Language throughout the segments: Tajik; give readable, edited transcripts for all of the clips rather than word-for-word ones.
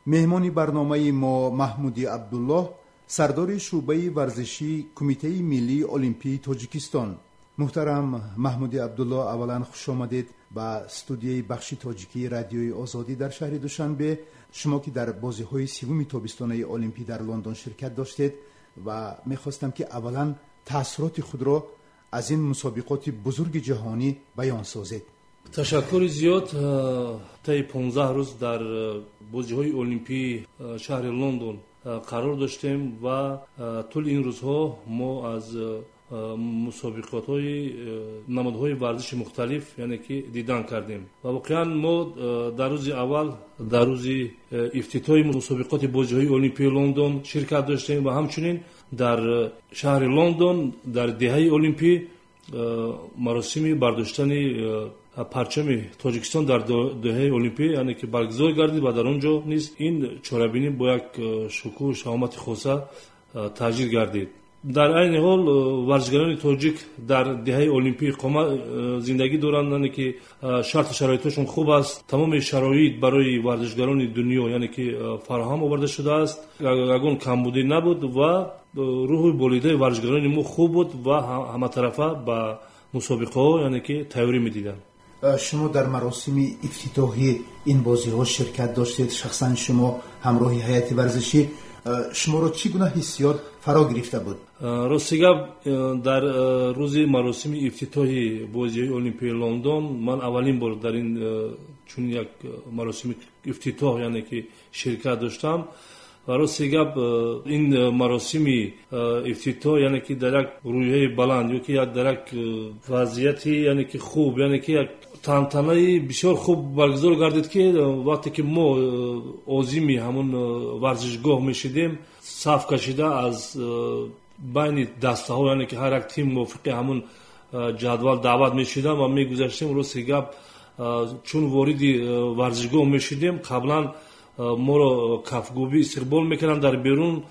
Меҳмони барномаи мо Маҳмуди Абдуллоҳ, сардори шӯъбаи варзишии Кумитаи миллии олимпии Тоҷикистон. Муҳтарам Маҳмуди Абдуллоҳ, аввалан хуш омадед ба студияи бахши тоҷикии Радиои Озодӣ дар шаҳри Душанбе. Шумо ки дар бозиҳои севуми тобистонаи олимпӣ дар Лондон ширкат доштед ва мехостам ки аввалан таассуроти худро аз ин мусобиқоти бузурги ҷаҳонӣ баён созед. Ташаккури зиёд. Таи 15 рӯз дар бозиҳои олимпии шаҳри Лондон қарор доштем ва тӯли ин рӯзҳо мо аз мусобиқотҳои намудҳои варзиши мухталиф, яъне ки, дидан кардем. Ва воқеан мо дар рӯзи аввал, дар рӯзи ифтитоҳи мусобиқоти бозиҳои олимпии Лондон ширкат доштем ва ҳамчунин дар шаҳри Лондон дар деҳаи олимпӣ маросими бардоштани парчами Тоҷикистон дар деҳаи олимпӣ, яъне ки, баргузор гардид ва дар он ҷо низ ин чорабинӣ бо як шукӯҳу шаҳомати хоса таҷлил гардид. Дар айни ҳол варзишгарони тоҷик дар деҳаи олимпӣ иқома зиндагӣ доранд, яъне ки, шарту шароитҳошон хуб аст. Тамоми шароит барои варзишгарони дунё, яъне ки, фароҳам оварда шудааст. Ягон камбудӣ набуд ва рӯҳу болидаи варзишгарони мо хуб буд ва ҳаматарафа ба мусобиқаҳо, яъне ки, тайёрӣ медиданд. Шумо дар маросими ифтитоҳи ин бозиҳо ширкат доштед, шахсан шумо ҳамроҳи ҳайати варзишӣ. Шуморо чӣ гуна ҳиссиёт фаро гирифта буд? Рости гап, дар рӯзи маросими ифтитоҳи бозиҳои олимпии Лондон ман аввалин бор дар ин чунин як маросими ифтитоҳ, яъне ки, ширкат доштам. Ва рости гап, ин маросими ифтитоҳ, яъне ки, дар як рӯҳияи баланд ё ки дар як вазъияти, яъне ки, хуб, яъне ки, як тантанаи бисёр хуб баргузор гардид, ки вақте ки мо озими ҳамон варзишгоҳ мешидем, саф кашида аз байни дастаҳо, яъне ки, ҳар як тим мувофиқи ҳамон ҷадвал даъват мешудам ва мегузаштем. Рости гап, чун вориди варзишгоҳ мешудем, қаблан моро кафгӯбӣ истиқбол мекарданд дар берун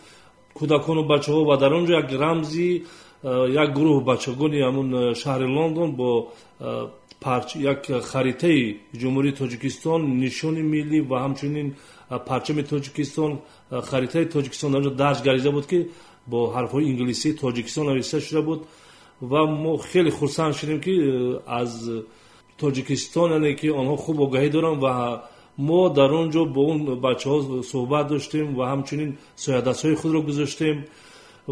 кӯдакону бачаҳо ва дар он ҷо як рамзи як гурӯҳ бачагони ҳамон шаҳри Лондон бо як харитаи Ҷумҳурии Тоҷикистон, нишони миллӣ ва ҳамчунин парчами Тоҷикистон, харитаи Тоҷикистон дар он ҷо дарҷ гардида буд, ки бо ҳарфҳои инглисӣ Тоҷикистон нависта шуда буд. Ва мо хеле хурсанд шудем, ки аз Тоҷикистон, яъне ки, онҳо хуб огаҳӣ доранд. Ва мо дар он ҷо бо он бачаҳо суҳбат доштем ва ҳамчунин соядастҳои худро гузоштем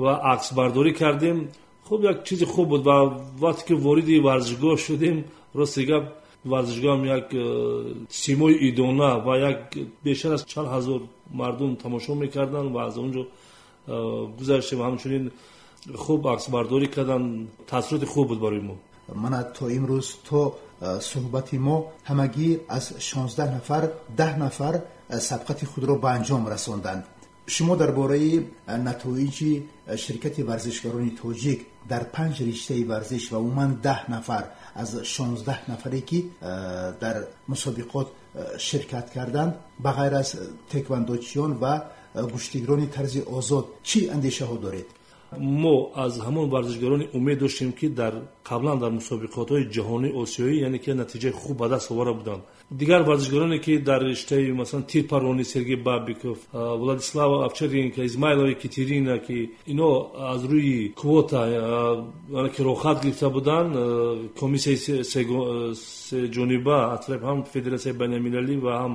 ва аксбардорӣ кардем. Хуб, як чизи хуб буд. Ва вақте ки вориди варзишгоҳ шудем, рости гап, варзишгоҳам як симои идона ва як бештар аз чанд ҳазор мардум тамошо мекарданд ва аз он ҷо гузаштем ва ҳамчунин хуб аксбардорӣ карданд. Таассуроти хуб буд барои мо. Мана то имрӯз, то суҳбати мо, ҳамагӣ аз 16 нафар 10 нафар сабқати худро ба анҷом расонданд. Шумо дар бораи натоиҷи ширкати варзишгарони тоҷик дар панҷ риштаи варзиш ва умуман 10 нафар аз 16 нафаре ки дар мусобиқот ширкат карданд, ба ғайр аз теквандочиён ва гӯштигирони тарзи озод, чӣ андешаҳо доред? Мо аз ҳамон варзишгарони умед доштем, ки дар қаблан дар мусобиқотҳои ҷаҳонии осиёӣ, яъне ки, натиҷаи хуб ба даст оварда буданд. Дигар варзишгароне ки дар риштаи, масалан, тирпаронӣ Сергей Бабиков, Владислава Овчаренко, Измайлова Екатерина, ки ино аз рӯи квота, яъне ки, роҳхат гирифта буданд, комиссияи сеҷониба аз тарафи ҳам Федератсияи байналмилалӣ ва ҳам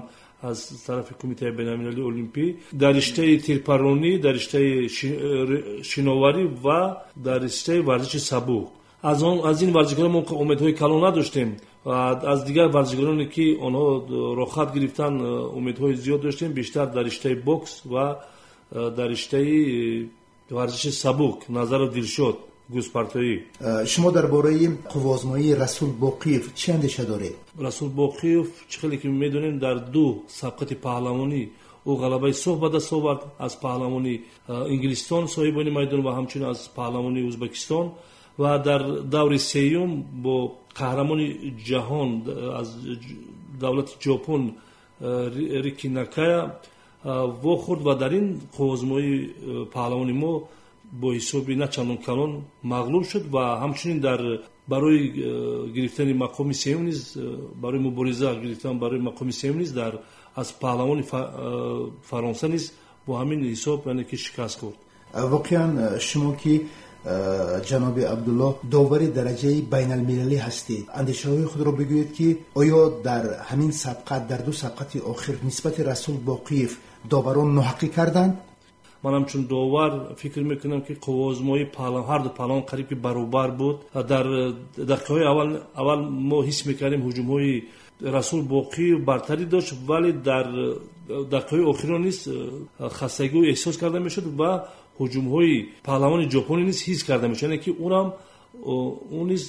аз тарафи Кумитаи байналмилалии олимпӣ, дар риштаи тирпаронӣ, дар риштаи шиноварӣ ва дар риштаи варзиши сабук, аз ин варзишгарон мо умедҳои калон надоштем. Аз дигар варзишгароне ки онҳо роҳхат гирифтанд, умедҳои зиёд доштем, бештар дар риштаи бокс ва дар риштаи варзиши сабук, Назаров Дилшод, гӯзпартоӣ. Шумо дар бораи қувваозмоии Расул Боқиев чӣ андеша доред? Расул Боқиев, чӣ хеле ки медонем, дар ду сабқати паҳлавонӣ ӯ ғалабаи соф ба даст овард: аз паҳлавони Инглистон, соҳибони майдон, ва ҳамчунин аз паҳлавони Ӯзбекистон. Ва дар даври сеюм бо қаҳрамони ҷаҳон аз давлати Ҷопон Рики Накая вохӯрд ва дар ин қувваозмоии паҳлавони мо бо ҳисоби на чандон калон мағлуб шуд. Ва ҳамчунин дар Барои гирифтани мақоми сеюм низ, барои мубориза гирифтан барои мақоми сеюм низ дар аз паҳлавони Фаронса низ бо ҳамин ҳисоб, яъне ки шикаст хӯрд. Воқеан, шумо ки, ҷаноби Абдулло, довари дараҷаи байналмилалӣ ҳастед, андешаҳои худро бигӯед, ки оё дар ҳамин сабқат, дар ду сабқати охир, нисбати Расул Боқиев доварон ноҳаққӣ карданд? Ман ҳамчун довар фикр мекунам, ки қувваозмоии ҳарду паҳлавон қариб ки баробар буд. Дар дақиқаҳои аввал мо ҳис мекардем, ҳуҷумҳои Расул Боқиев бартарӣ дошт, вале дар дақиқаҳои охирон низ хастагиҳо эҳсос карда мешуд ва ҳуҷумҳои паҳлавони ҷопонӣ низ ҳис карда мешуд, яъне ки ӯрам ӯ низ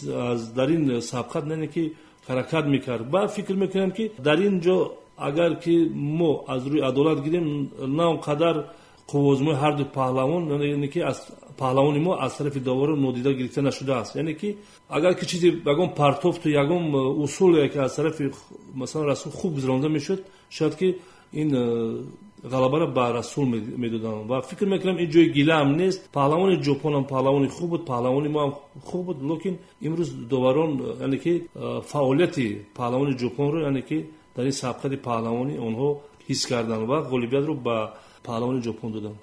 дар ин сабқат, яъне ки ҳаракат мекард. Ва фикр мекунам, ки дар ин ҷо агар ки мо аз рӯи адолат гирем, на он қадар қувваозмои ҳарду паҳлавон, яъне ки аз паҳлавони мо аз тарафи доварон нодида гирифта нашудааст. Яъне ки агар ки чизе, ягон партофту ягон усуле ки аз тарафи, масалан, Расул хуб гузаронда мешуд, шояд ки ин ғалабаро ба Расул медоданд. Ва фикр мекунам, ин ҷои гила ҳам нест. Паҳлавони Ҷопонам паҳлавони хуб буд, паҳлавони мо ҳам хуб буд, лекин имрӯз доварон, яъне ки фаъолияти паҳлавони Ҷопонро, яъне ки дар ин сабқати паҳлавонӣ онҳо ҳис карданд ва ғолибиятро ба паҳлавони Ҷопон доданд.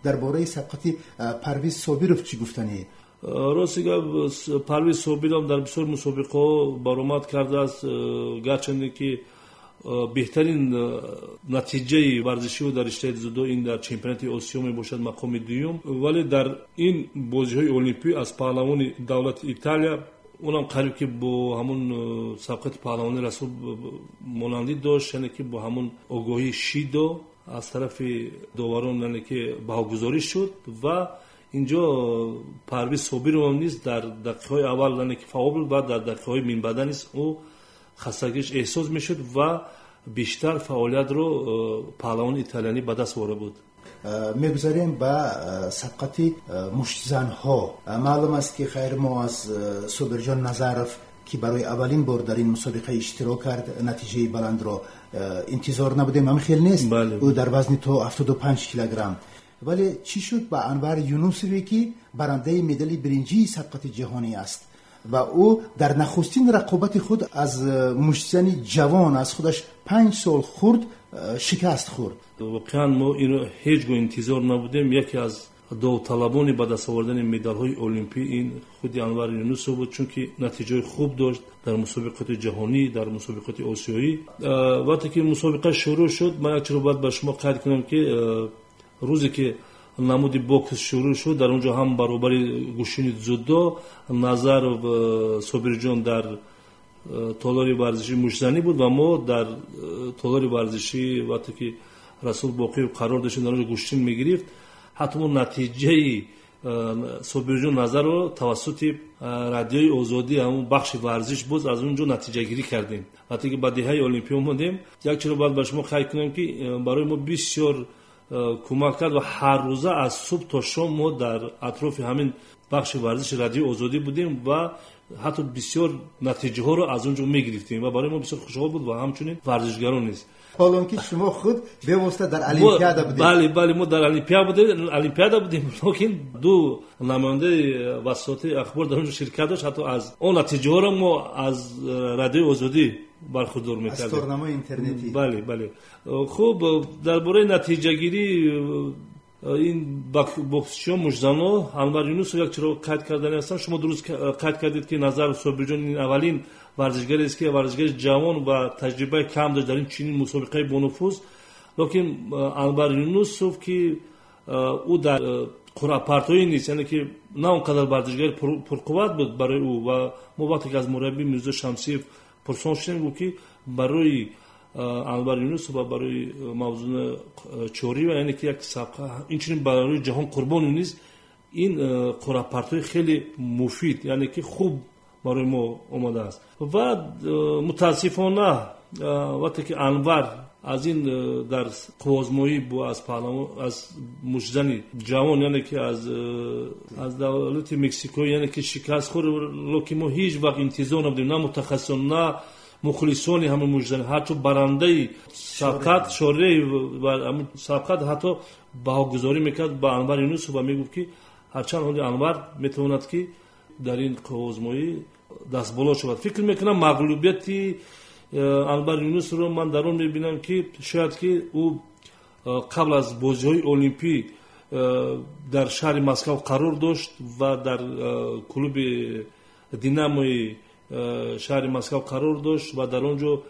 Дар бораи сабқати Парвиз Собиров чӣ гуфтанед? Рости гап, Парвиз Собиров дар бисёр мусобиқаҳо баромад кардааст. Гарчанде ки беҳтарин натиҷаи варзиширо дар риштаи дзюдо ин дар чемпионати Осиё мебошад, мақоми дуюм, вале дар ин бозиҳои олимпӣ аз паҳлавони давлати Италия, онам қариб ки бо ҳамун сабқати паҳлавони Расул монандӣ дошт, яъне ки бо ҳамун огоҳии шидо аз тарафи доварон, яъне ки баҳогузорӣ шуд. Ва инҷо Парвиз Собиров низ дар дақиқаҳои аввал, яъне ки фаъол буд ва дар дақиқаҳои минбаъда низ ӯ хастагиш эҳсос мешуд ва бештар фаъолиятро паҳлавони италиянӣ ба даст оварда буд. Мегузарем ба сабқати муштзанҳо. Маълум аст, ки хайр, мо аз Собирҷон Назаров, ки барои аввалин бор дар ин мусобиқа иштирок кард, натиҷаи баландро интизор набудем, ҳамин хел нест? Ӯ дар вазни то 75 килограмм. Вале чӣ шуд ба Анвар Юнусове, ки барандаи медали биринҷии сабқати ҷаҳонӣ аст ва ӯ дар нахустин рақобати худ аз муштзани ҷавон, аз худаш 5 сол хурд, шикаст хӯрд? Воқеан, мо инро ҳеҷ гоҳ интизор набудем. Яке аз довталабони ба даст овардани медалҳои олимпӣ ин худи Анвар Юнусов буд, чунки натиҷаҳои хуб дошт дар мусобиқоти ҷаҳонӣ, дар мусобиқоти осиёӣ. Вақте ки мусобиқа шурӯъ шуд, ман як чиро бояд ба шумо қайд кунам, ки рӯзе ки намуди бокс шурӯъ шуд, дар он ҷо ҳам баробари гӯштини дзюдо Назаров Собирҷон дар толори варзишии муштзанӣ буд ва мо дар толори варзишӣ, вақте ки Расул Боқиев қарор доштем, дар он ҷо гӯштин мегирифт. Ҳатто мо натиҷаи Собирҷон Назарро тавассути Радиои Озодӣ, ҳамун бахши варзиш, боз аз он ҷо натиҷагирӣ кардем, вақте ки ба деҳаи Олимпӣ омадем. Як чиро бояд ба шумо қайд кунам, ки барои мо бисёр кӯмак кард ва ҳар рӯза аз субҳ то шом мо дар атрофи ҳамин бахши варзиши Радиои Озодӣ будем ва ҳатто бисёр натиҷаҳоро аз он ҷо мегирифтем ва барои мо бисёр хушҳол буд ва ҳамчунин варзишгарон низ. Ҳолон ки шумо худ бевосита дар Олимпиада будед. Бале, мо дар Олимпиада будем, лекин ду намояндаи васоити ахбор дар он ҷо ширкат дошт. Ҳатто аз он натиҷаҳоро мо аз Радиои Озодӣ бархурдор мекардем. Аз торнамои интернетӣ. Бале. Хуб, дар бораи натиҷагирӣ ин боксчиён, муштзано, Анвар Юнусов, як чиро қайд кардани ҳастам. Шумо дуруст қайд кардед, ки Назаров Собирҷон ин аввалин варзишгарест, ки варзишгари ҷавон ва таҷрибаи кам дошт дар ин чунин мусобиқаи бонуфуз. Лекин Анвар Юнусов, ки ӯ дар қуръапартоӣ низ, яъне ки на он қадар варзишгари пурқувват буд барои ӯ. Ва мо вақте ки аз мураббӣ Мирзо Шамсиев пурсон шудем, гуфт, ки барои Анвар Юнусов ва барои Мавзуна Чориева, яъне ки як сабқа, инчунин барои Ҷаҳон Қурбонов низ ин қуръапартоӣ хеле муфид, яъне ки хуб барои мо омадааст. Ва мутаассифона, вақте ки Анвар аз ин дар қувваозмоӣ бо аз паҳлавон, аз муштзани ҷавон, яъне ки аз давлати Мексико, яъне ки шикаст хӯрд. Лекин мо ҳеҷ вақт интизор набудем, на мутахассисон, на мухлисони ҳамин муштзани. Ҳатто барандаи сабқат Шореи сабқат ҳатто баҳогузорӣ мекард ба Анвар Юнусов ва мегуфт, ки ҳарчанд ҳоли Анвар метавонад, ки дар ин қувваозмоӣ дастболо шавад. Фикр мекунам, мағлубияти Анвар Юнусовро ман дар он мебинам, ки шояд ки ӯ қабл аз бозиҳои олимпӣ дар шаҳри Москав қарор дошт ва дар клуби Динамои шаҳри Москав қарор дошт ва дар он ҷо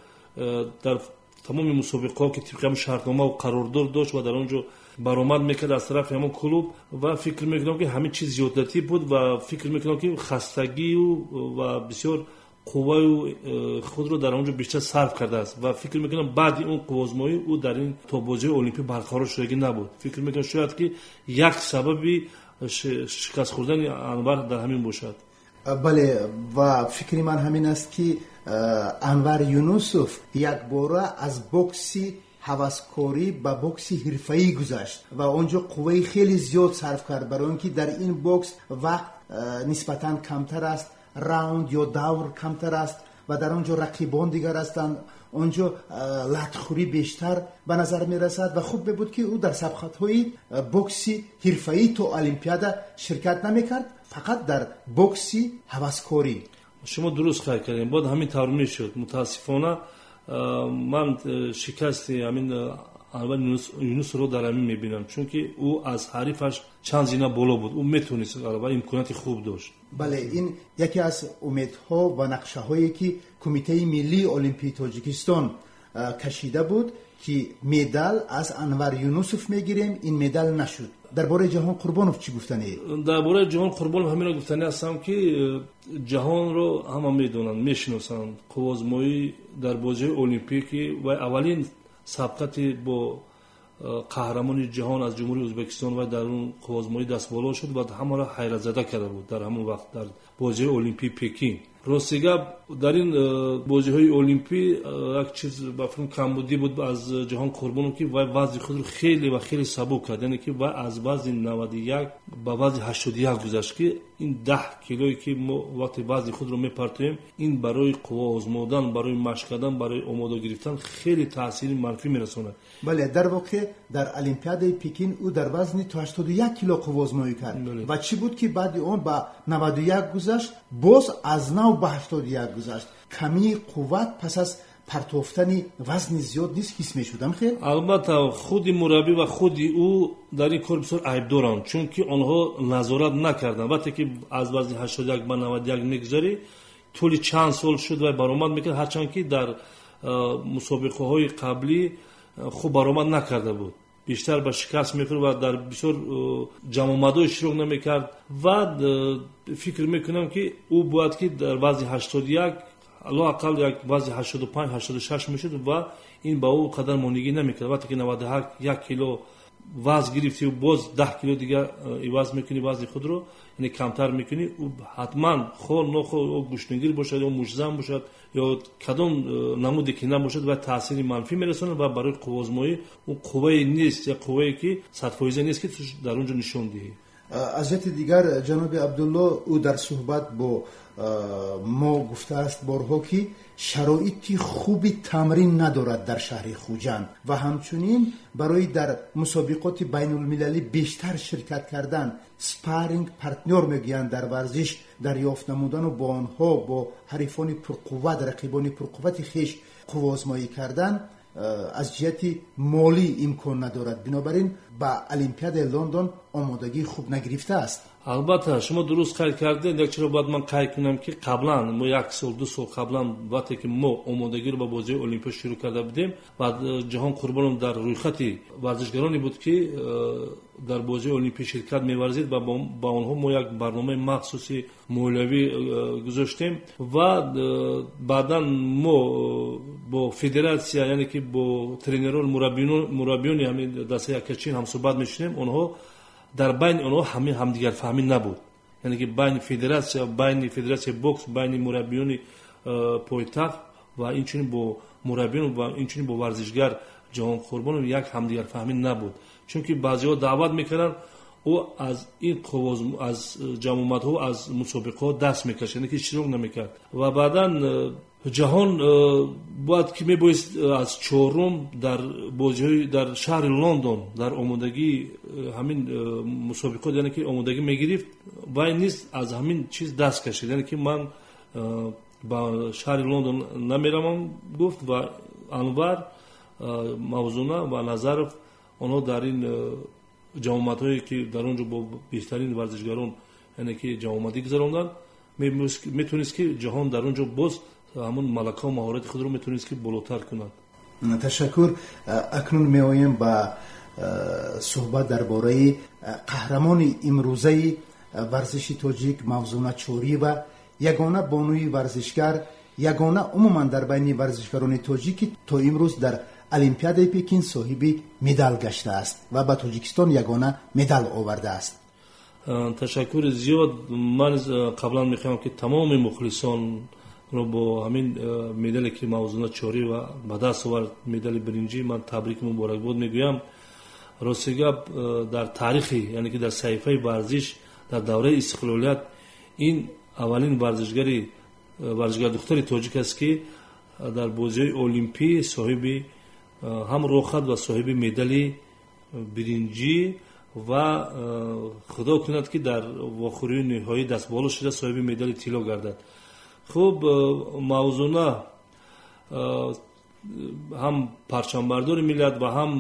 дар тамоми мусобиқаҳо, ки тибқи ҳамон шартнома қарордор дошт, ва дар он ҷо баромад мекард аз тарафи ҳамон клуб. Ва фикр мекунам, ки ҳамин чиз зиёдатӣ буд ва фикр мекунам, ки хастагию ва бисёр қувваю худро дар он ҷо бештар сарф кардааст. Ва фикр мекунам, баъди он қувваозмоӣ ӯ дар ин то бозиҳои олимпӣ барқарор шудагӣ набуд. Фикр мекунам, шояд ки як сабаби шикаст хӯрдани Анвар дар ҳамин бошад. Бале, ва фикри ман ҳамин аст, ки Анвар Юнусов якбора аз бокси ҳаваскорӣ ба бокси ҳирфаӣ гузашт ва он ҷо қувваи хеле зиёд сарф кард, барои он ки дар ин бокс вақт нисбатан камтар аст, раунд ё давр камтар аст ва дар он ҷо рақибон дигар ҳастанд, он ҷо латхӯрӣ бештар ба назар мерасад. Ва хуб мебуд, ки ӯ дар сабқатҳои бокси ҳирфаӣ то Олимпиада ширкат намекард, фақат дар бокси ҳаваскорӣ. Шумо дуруст қайд кардем, бояд ҳамин тавр мешуд. Мутаассифона, ман шикасти ҳамин Анвар Юнусро дар ҳамин мебинам, чунки ӯ аз ҳарифаш чанд зина боло буд, ӯ метавонист ва имконияти хуб дошт. Бале, ин яке аз умедҳо ва нақшаҳое, ки Кумитаи миллии олимпии Тоҷикистон кашида буд, ки медал аз Анвар Юнусов мегирем, ин медал нашуд. Дар бораи Ҷаҳон Қурбонов чӣ гуфтанед? Дар бораи Ҷаҳон Қурбонов ҳаминро гуфтанӣ ҳастам, ки Ҷаҳонро ҳама медонанд, мешиносанд. Қувваозмоӣ дар бозиҳои олимпӣ, ки вай аввалин сабқати бо қаҳрамони ҷаҳон аз Ҷумҳурии Ӯзбекистон, вай дар он қувваозмоӣ дастболо шуд ва ҳамаро ҳайратзада карда буд дар ҳамон вақт, дар бозиҳои олимпии Пекин. Рости гап, дар ин бозиҳои олимпӣ як чиз ба фикрам камбудӣ буд аз Ҷаҳон Қурбонов, ки вай вазни худро хеле ва хеле сабук кард, яъне ки вай аз вазни 91 ба вазни 81 гузашт, ки ин 10 килое, ки мо вақте вазни худро мепартоем, ин барои қувва озмодан, барои машқ кардан, барои омода гирифтан хеле таъсири манфӣ мерасонад. Бале, дар воқеъ дар Олимпиадаи Пекин ӯ дар вазни то 81 кило қувваозмоӣ кард. Ва чӣ буд, ки баъди он ба 91 гузашт, боз аз нав ба 81 гузашт? Камии қувват пас аз партофтани вазни зиёд низ ҳис мешудам хел. Албатта, худи мураббӣ ва худи ӯ дар ин кор бисёр айбдоранд, чунки онҳо назорат накарданд. Вақте ки аз вазни 81 ба 91 мегузарӣ, тӯли чанд сол шуд вай баромад мекард, ҳарчанд ки дар мусобиқаҳои қаблӣ хуб баромад накарда буд, бештар ба шикаст мехӯрд ва дар бисёр ҷамъомадҳо иштирок намекард. Ва фикр мекунам, ки ӯ бояд ки дар вазни 81, лоақал як вазни 85, 86 мешуд ва ин ба ӯ қадар монигӣ намекард. Вақте ки 91 кило вазн гирифтӣ, боз 10 кило дигар иваз мекунӣ вазни худро, яъне камтар мекунӣ, ӯ ҳатман хоҳ нохоҳ, ё гӯштингир бошад, ё муштзан бошад, ё кадом намуде ки набошад, ва таъсири манфӣ мерасонад ва барои қувваозмоӣ ӯ қуввае нест, як қуввае ки садфоиза нест, ки ту дар он ҷо нишон диҳӣ. Аз ҷиҳати дигар, ҷаноби Абдулло, ӯ дар суҳбат бо мо гуфтааст борҳо, ки шароити хуби тамрин надорад дар шаҳри Хуҷанд ва ҳамчунин барои дар мусобиқоти байнулмилалӣ бештар ширкат кардан, спарринг партнёр мегӯянд дар варзиш, дарёфт намудану бо онҳо, бо ҳарифони пурқувват, рақибони пурқуввати хеш қувваозмоӣ кардан аз ҷиҳати молӣ имкон надорад. Бинобар ин ба Олимпиадаи Лондон омодагии хуб нагирифтааст. Албатта, шумо дуруст қайд кардед. Як чиро бояд ман қайд кунам, ки қаблан мо як сол, 2 сол қаблан, вақте ки мо омодагиро ба бозиҳои олимпиа шурӯъ карда будем ва Ҷаҳон Қурбонов дар рӯйхати варзишгароне буд, ки дар бозиҳои олимпӣ ширкат меварзид, ва ба онҳо мо як барномаи махсуси молиявӣ гузоштем. Ва баъдан мо бо федератсия, яъне ки бо тренерон, мураббиёни ҳамин дастаи Акачин ҳамсӯҳбат мешудем. Онҳо дар байни онҳо ҳамин ҳамдигарфаҳмӣ набуд, яъне ки байни федератсия, байни федератсияи бокс, байни мураббиёни пойтахт ва инчунин бо мураббиён ва инчунин бо варзишгар Ҷаҳон Қурбонов як ҳамдигарфаҳмӣ набуд, чунки баъзеҳо даъват мекарданд, ӯ аз ин аз ҷамъомадҳо, аз мусобиқаҳо даст мекашид, яъне ки иштирок намекард. Ва баъдан Ҷаҳон бояд ки мебоист аз чорум дар бозиҳои дар шаҳри Лондон дар омодагии ҳамин мусобиқот, яъне ки омодагӣ мегирифт, вай низ аз ҳамин чиз даст кашид, яъне ки ман Ба шаҳри Лондон намеравам гуфт ва Анвар, Мавзуна ва Назаров онҳо дар ин ҷамъомадҳое, ки дар он ҷо бо беҳтарин варзишгарон, яъне ки ҷамъомадӣ гузаронданд, метавонист, ки ҷаҳон дар он ҷо боз ҳамун малакаву маҳорати худро метавонист, ки болотар кунад. Ташаккур. Акнун меоем ба суҳбат дар бораи қаҳрамони имрӯзаи варзиши тоҷик, Мавзуна Чориева, ягона бонуи варзишгар, ягона умуман дар байни варзишгарони тоҷик, ки то имрӯз дар Олимпиадаи Пекин соҳиби медал гаштааст ва ба Тоҷикистон ягона медал овардааст. Ташаккури зиёд. Ман қаблан мехоҳам, ки тамоми мухлисонро бо ҳамин медале, ки Мавзуна Чориева ба даст овард, медали биринҷӣ, ман табрику муборакбод мегӯям. Рости гап, дар таърихи, яъне ки дар саҳифаи варзиш дар давраи истиқлолият ин аввалин варзишгар духтари тоҷик аст, ки дар бозиҳои олимпӣ соҳиби ҳам роҳхат ва соҳиби медали биринҷӣ ва худо кунад, ки дар вохӯрии ниҳоӣ дастболо шуда, соҳиби медали тилло гардад. Хуб, Мавзуна ҳам парчамбардори миллат ва ҳам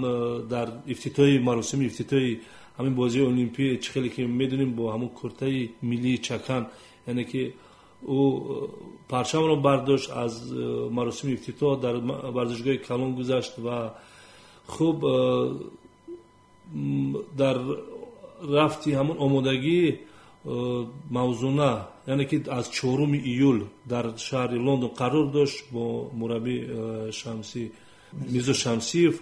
дар ифтитоҳи маросими ифтитоҳи ҳамин бозии олимпӣ, чӣ хеле ки медонем, бо ҳамун куртаи миллии чакан, яъне ки ӯ парчамро бардошт, аз маросими ифтитоҳ дар варзишгоҳи калон гузашт. Ва хуб, дар рафти ҳамун омодагӣ Мавзуна, яъне ки аз 4 июл дар шаҳри Лондон қарор дошт бо мураббӣ Шамсӣ, Мирзо Шамсиев,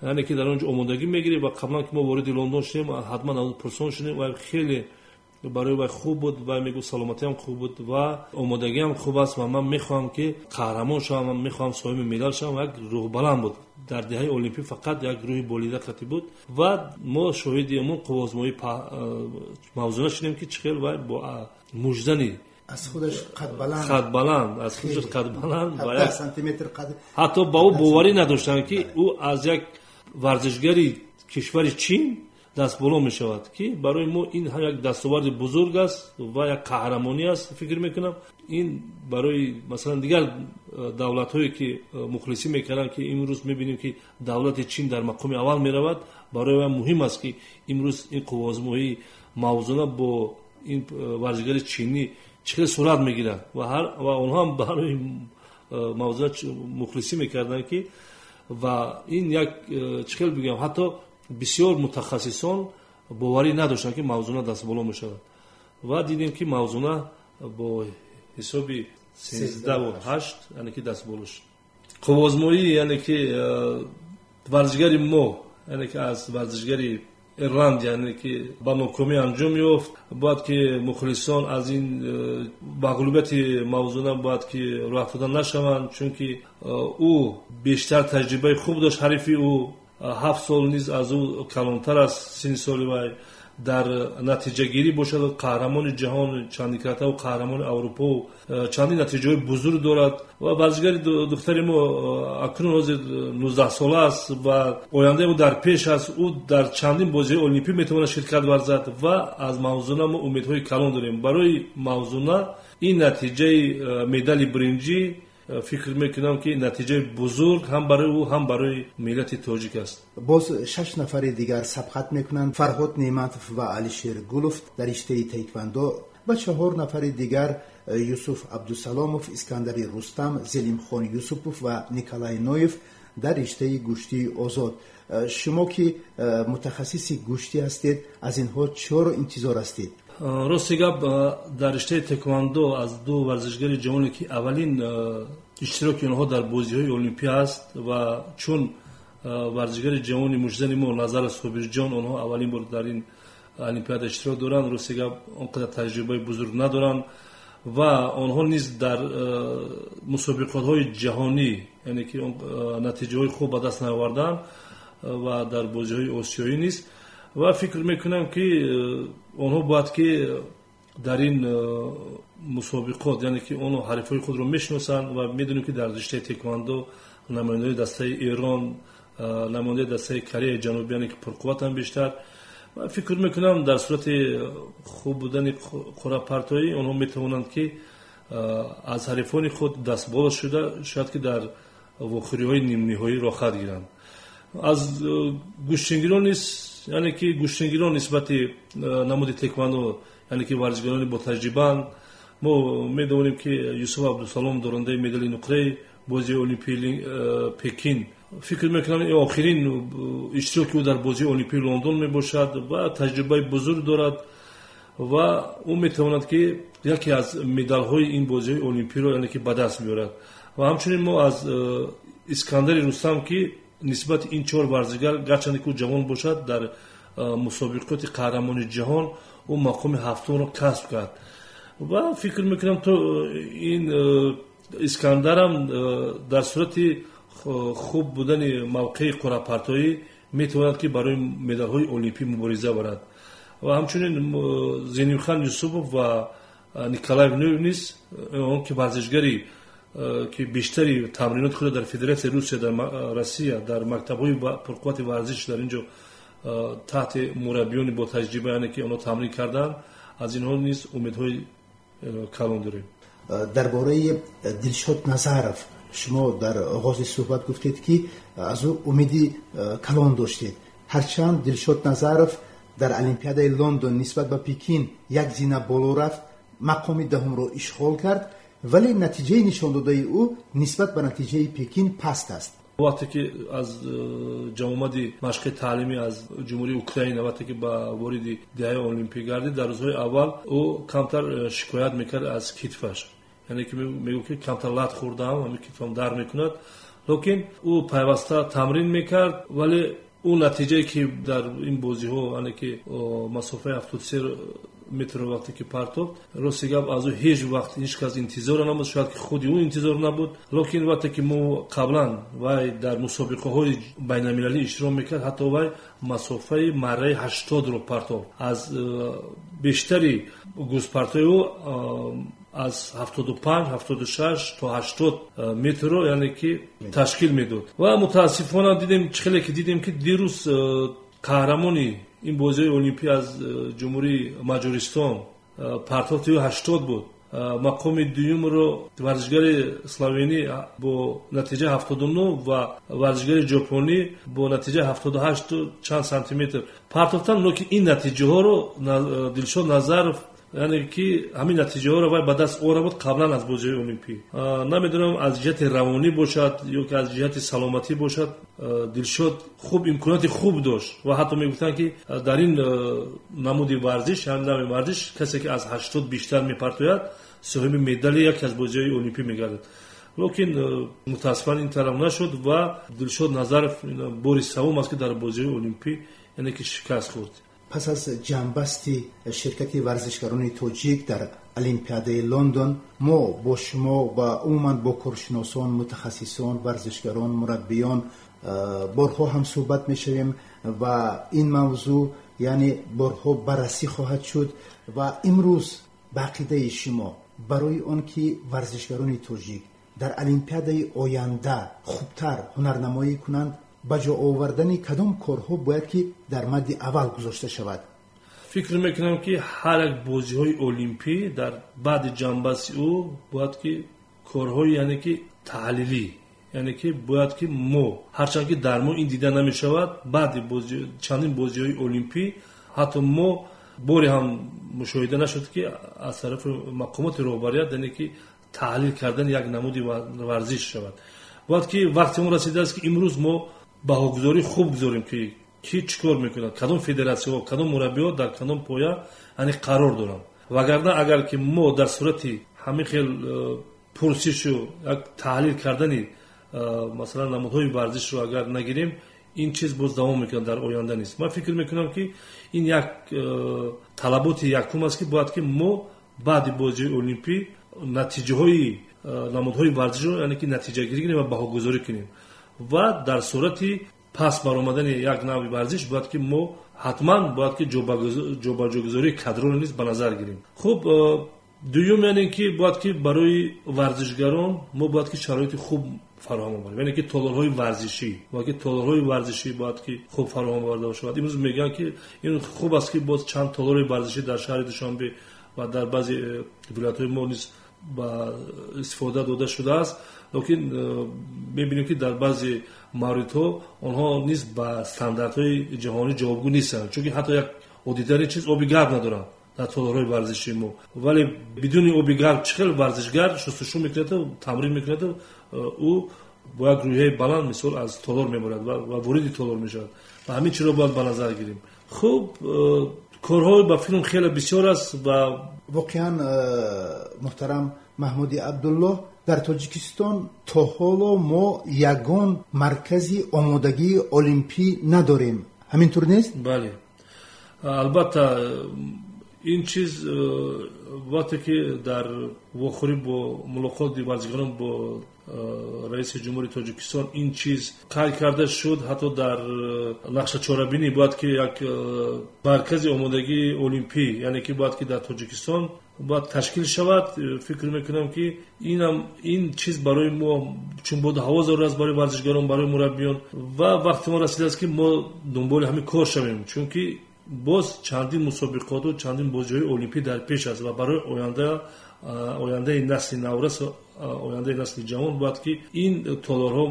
яъне ки дар он ҷо омодагӣ мегирифт. Ва қаблан ки мо вориди Лондон шудем, ҳатман аз пурсон шудем ва хеле барои вай хуб буд ва мегуфт, саломатиам хуб буд ва омодагиам хуб аст ва ман мехоҳам, ки қаҳрамон шавам, ман мехоҳам соҳиби медал шавам. Як рӯҳбаланд буд. Дар деҳаи олимпӣ фақат як рӯҳи болида қатӣ буд ва мо шоҳиди ҳамон қувваозмоии Мавзуна шудем, ки чӣ хел вай бо муждани аз худаш қадбаланд. Қадбаланд, аз худаш қадбаланд. Сантиметр қад. Ҳатто ба ӯ боварӣ надоштанд, ки ӯ аз як варзишгари кишвари Чин дастболо мешавад, ки барои мо ин ҳам як дастоварди бузург аст ва як қаҳрамонӣ аст. Фикр мекунам, ин барои, масалан, дигар давлатҳое, ки мухлисӣ мекарданд, ки имрӯз мебинем, ки давлати Чин дар мақоми аввал меравад, барои вай муҳим аст, ки имрӯз ин қувваозмоии Мавзуна бо ин варзишгари чинӣ чӣ хел сурат мегирад. Ва онҳо ҳам барои Мавзуна мухлисӣ мекарданд, ки ва ин як, чӣ хел бигӯям, ҳатто бисёр мутахассисон боварӣ надоштанд, ки Мавзуна дастболо мешавад. Ва дидем, ки Мавзуна бо ҳисоби 13,8, яъне ки дастболо шуд. Қувваозмоӣ, яъне ки варзишгари мо, яъне ки аз варзишгари Ирландия, яъне ки ба нокомӣ анҷом ёфт. Бояд ки мухлисон аз ин мағлубияти Мавзуна бояд ки рӯҳафтода нашаванд, чунки ӯ бештар таҷрибаи хуб дошт. Ҳарифи ӯ 7 сол низ аз ӯ калонтар аст синни соли вай. Дар натиҷагирӣ бошад, қаҳрамони ҷаҳон чандикратаву қаҳрамони Аврупо, чандин натиҷаҳои бузург дорад. Ва варзишгари духтари мо акнун ҳозир 19-сола аст ва ояндаи ӯ дар пеш аст. Ӯ дар чандин бозиҳои олимпӣ метавонад ширкат варзад ва аз Мавзуна мо умедҳои калон дорем. Барои Мавзуна ин натиҷаи медали биринҷӣ, фикр мекунам, ки натиҷаи бузург ҳам барои ӯ, ҳам барои миллати тоҷик аст. Боз шаш нафари дигар сабқат мекунанд: Фарҳод Неъматов ва Алишер Гулов дар риштаи таеквандо ва чаҳор нафари дигар: Юсуф Абдусаломов, Искандари Рустам, Зелимхон Юсупов ва Николай Ноев дар риштаи гӯштии озод. Шумо ки мутахассиси гӯштӣ ҳастед, аз инҳо чиро интизор ҳастед? Рости гап, дар риштаи теквандо аз ду варзишгари ҷавоне, ки аввалин иштироки онҳо дар бозиҳои олимпӣ аст, ва чун варзишгари ҷавони муждани мо Назар Собирҷон, онҳо аввалин бор дар ин олимпиада иштирок доранд. Рости гап, он қадар таҷрибаи бузург надоранд ва онҳо низ дар мусобиқотҳои ҷаҳонӣ, яъне ки натиҷаҳои хуб ба даст наоварданд ва дар бозиҳои осиёӣ низ. Ва фикр мекунам, ки онҳо бояд ки дар ин мусобиқот, яъне ки онҳо ҳарифҳои худро мешиносанд ва медонем, ки дар риштаи теквандо намояндаи дастаи Эрон, намояндаи дастаи Кореяи Ҷанубӣ, яъне ки пурқувватанд бештар. Ва фикр мекунам, дар сурати хуб будани қуръапартоӣ онҳо метавонанд, ки аз ҳарифони худ дастболо шуда, шояд ки дар вохӯриҳои нимниҳоӣ роҳхат гиранд. Аз гӯштингирон низ, яъне ки гӯштингирон нисбати намуди теквандо, яъне ки варзишгарони ботаҷрибаанд. Мо медонем, ки Юсуф Абдусалом дорандаи медали нуқраи бозии Олимпии Пекин, фикр мекунам, ин охирин иштироки ӯ дар бозии Олимпии Лондон мебошад ва таҷрибаи бузург дорад ва ӯ метавонад, ки яке аз медалҳои ин бозиҳои олимпиро, яъне ки, ба даст биёрад. Ва ҳамчунин мо аз Искандари Рустам, ки нисбати ин чор варзишгар, гарчанде ки ӯ ҷавон бошад, дар мусобиқоти қаҳрамони ҷаҳон ӯ мақоми ҳафтумро касб кард ва фикр мекунам, то ин Искандарам дар сурати хуб будани мавқеи қуръапартоӣ метавонад, ки барои медалҳои олимпӣ мубориза барад. Ва ҳамчунин Зенимхан Юсупов ва Николай Ноев низ, он ки варзишгари, ки бештари тамриноти худро дар Федератсияи Русия, дар Россия, дар мактабҳои пурқуввати варзиш дар ин ҷо таҳти мураббиёни ботаҷриба, яъне ки онҳо тамрин карданд, аз инҳо низ умедҳои калон дорем. Дар бораи Дилшод Назаров шумо дар оғози суҳбат гуфтед, ки аз ӯ умеди калон доштед. Ҳарчанд Дилшод Назаров дар Олимпиадаи Лондон нисбат ба Пекин як зина боло рафт, мақоми даҳумро ишғол кард, вале натиҷаи нишондодаи ӯ нисбат ба натиҷаи Пекин паст аст. Вақте ки аз ҷамъомади машқи таълимӣ аз Ҷумҳурии Украина, вақте ки ба вориди деҳаи олимпӣ гардид, дар рӯзҳои аввал ӯ камтар шикоят мекард аз китфаш, яъне ки мегӯфт, ки камтар лат хӯрдаам, ҳамин китфам дард мекунад. Лекин ӯ пайваста тамрин мекард, вале ӯ натиҷае ки дар ин бозиҳо, яъне ки масофаи 73 метрро вақте ки партофт, рости гап, аз ӯ ҳеҷ вақт ҳеҷ кас интизоро набуд, шояд ки худи ӯ интизор набуд. Лекин вақте ки мо қаблан вай дар мусобиқаҳои байналмилалӣ иштирок мекард, ҳатто вай масофаи марраи 80-ро партофт. Аз бештари гузпартои ӯ аз 75, 76 то 80 метрро, яъне ки, ташкил медод. Ва мутаассифона дидем, чӣ хеле ки дидем, ки дирӯз қаҳрамони ин бозиҳои олимпӣ аз Ҷумҳурии Маҷористон партофти ӯ 80 буд. Мақоми дуюмро варзишгари словенӣ бо натиҷаи 79 ва варзишгари ҷопонӣ бо натиҷаи 78-у чанд сантиметр партофтанд. Лекин ин натиҷаҳоро Дилшод Назаров, яъне ки ҳамин натиҷаҳоро вай ба даст овара буд қаблан аз бозиҳои олимпӣ. Намедонам, аз ҷиҳати равонӣ бошад ё ки аз ҷиҳати саломатӣ бошад, Дилшод хуб имконоти хуб дошт ва ҳатто мегуфтанд, ки дар ин намуди варзиш, ҳамин нави варзиш, касе ки аз 80 бештар мепартояд, соҳиби медали яке аз бозиҳои олимпӣ мегардад. Лекин мутаассифона ин тараф нашуд ва Дилшод Назаров бори севум аст, ки дар бозиҳои олимпӣ, яъне ки, шикаст хӯрд. Пас аз ҷамъбасти ширкати варзишгарони тоҷик дар Олимпиадаи Лондон мо бо шумо ва умуман бо коршиносон, мутахассисон, варзишгарон, мураббиён борҳо ҳам суҳбат мешавем ва ин мавзӯъ, яъне, борҳо баррасӣ хоҳад шуд. Ва имрӯз ба ақидаи шумо, барои он ки варзишгарони тоҷик дар Олимпиадаи оянда хубтар ҳунарнамоӣ кунанд, ба ҷо овардани кадом корҳо бояд ки дар мадди аввал гузошта шавад? Фикр мекунам, ки ҳар як бозиҳои олимпӣ дар баъди ҷамъбасти ӯ бояд ки корҳои, яъне ки, таҳлилӣ, яъне ки бояд ки мо, ҳарчанд ки дар мо ин дида намешавад, баъди чандин бозиҳои олимпӣ ҳатто мо боре ҳам мушоҳида нашуд, ки аз тарафи мақомоти роҳбарият, яъне ки, таҳлил кардани як намуди варзиш шавад. Бояд ки вақти он расидааст, ки имрӯз мо баҳогузории хуб гузорем, ки ки чӣ кор мекунад, кадом федератсияҳо, кадом мураббиҳо дар кадом поя, яъне, қарор доранд. Вагарна агар ки мо дар сурати ҳамин хел пурсишу як таҳлил кардани масалан намудҳои варзишро агар нагирем, ин чиз боз давом мекунад дар оянда низ. Ман фикр мекунам, ки ин як талаботи якум аст, ки бояд ки мо баъди бозиҳои олимпӣ натиҷаҳои намудҳои варзишро, яъне ки, натиҷагирӣ кунем ва баҳогузорӣ кунем ва дар сурати пас баромадани як навъи варзиш бояд ки мо ҳатман бояд ки ҷобаҷогузории кадроро низ ба назар гирем. Хуб, дуюм, яъне ки, бояд ки барои варзишгарон мо бояд ки шароити хуб фароҳам оварем, яъне ки толорҳои варзишӣ бояд ки хуб фароҳам оварда шавад. Имрӯз мегӯянд, ки ин хуб аст, ки боз чанд толори варзишӣ дар шаҳри Душанбе ва дар баъзе вилоятҳои мо низ Ба истифода дода шудааст, лекин мебинем, ки дар баъзе мавридҳо онҳо низ ба стандартҳои ҷаҳонӣ ҷавобгӯ нестанд, чунки ҳатто як оддитарин чиз, оби гарм надоранд дар толорҳои варзишии мо. Вале бидуни оби гарм чӣ хел варзишгар шустушу мекунаду тамрин мекунаду ӯ бо як рӯҳияи баланд, мисол, аз толор мебарад ва вориди толор мешавад? Ва ҳамин чиро бояд ба назар гирем. Хуб, корҳои ба филм хеле бисёр аст ва Воқеан, муҳтарам Маҳмуди Абдуллоҳ, дар Тоҷикистон то ҳоло мо ягон маркази омодагии олимпӣ надорем, ҳамин тур нест? Бале, албатта, ин чиз вақте ки дар вохӯрӣ бо мулоқоти варзишгарон бо раиси ҷумҳури Тоҷикистон ин чиз қайд карда шуд, ҳатто дар нақшачорабинӣ бояд ки як маркази омодагии олимпӣ, яъне ки бояд ки дар Тоҷикистон бояд ташкил шавад. Фикр мекунам, ки инам ин чиз барои мо чун боду ҳаво зарур аст, барои варзишгарон, барои мураббиён, ва вақти мо расидааст, ки мо дунболи ҳамин кор шавем, чунки боз чандин мусобиқоту чандин бозиҳои олимпӣ дар пеш аст ва барои ояндаи насли наврас, ояндаи насли ҷавон бояд ки ин толорҳо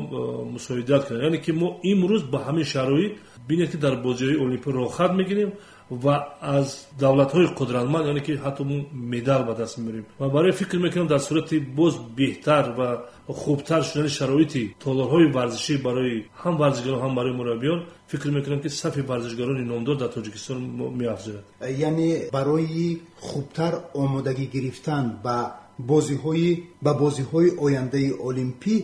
мусоидат кунанд. Яъне ки мо имрӯз ба ҳамин шароит, бинед, ки дар бозиҳои олимпӣ роҳхат мегирем ва аз давлатҳои қудратманд, яъне ки ҳатто мо медал ба даст меорем. Ва барои фикр мекунам, дар сурати боз беҳтар ва хубтар шудани шароити толорҳои варзишӣ барои ҳам варзишгарон, ҳам барои мураббиён, фикр мекунам, ки сафи варзишгарони номдор дар Тоҷикистон меафзояд. Яъне барои хубтар омодагӣ гирифтан ба бозиҳои ояндаи олимпӣ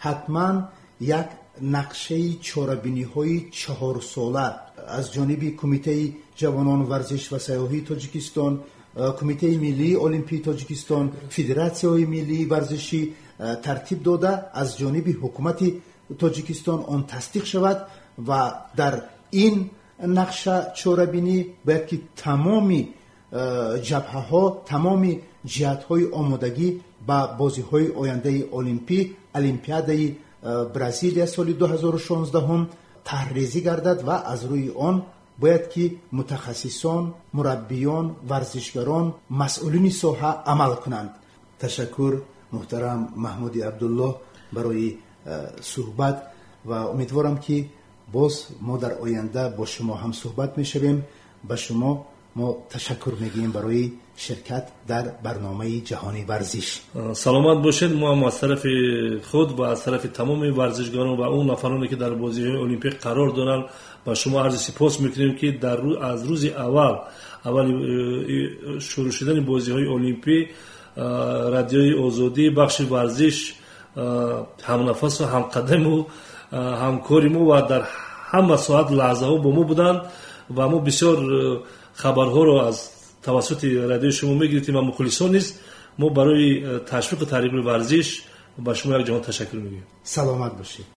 ҳатман як нақшаи чорабиниҳои чаҳорсола аз ҷониби Кумитаи ҷавонон, варзиш ва сайёҳии Тоҷикистон, Кумитаи миллии олимпии Тоҷикистон, федератсияҳои миллии варзишӣ тартиб дода, аз ҷониби ҳукумати Тоҷикистон он тасдиқ шавад ва дар ин нақша чорабинӣ бояд ки тамоми ҷабҳаҳо, тамоми ҷиҳатҳои омодагӣ ба бозиҳои ояндаи олимпӣ, Олимпиадаи Бразилия соли 2016 тарҳрезӣ гардад ва аз рӯи он бояд ки мутахассисон, мураббиён, варзишгарон, масъулини соҳа амал кунанд. Ташаккур, муҳтарам Маҳмуди Абдуллоҳ, барои суҳбат ва умедворам, ки боз мо дар оянда бо шумо ҳам суҳбат мешавем. Ба шумо мо ташаккур мегӯем барои ширкат дар барномаи Ҷаҳони варзиш. Саломат бошед. Мо ҳам аз тарафи худ ва аз тарафи тамоми варзишгарон ва он нафароне, ки дар бозиҳои олимпӣ қарор доранд, ба шумо арзи сипос мекунем, ки аз рӯзи аввал аввали шурӯъ шудани бозиҳои олимпӣ Радиои Озодӣ, бахши варзиш, ҳамнафасу ҳамқадаму ҳамкори мо ва дар ҳама соат лаҳзаҳо бо мо буданд ва мо бисёр хабарҳоро аз тавассути радиои шумо мегирифтем ва мухлисон низ. Мо барои ташвиқу тарғиби варзиш ба шумо як ҷаҳон ташаккур мегӯем. Саломат бошед.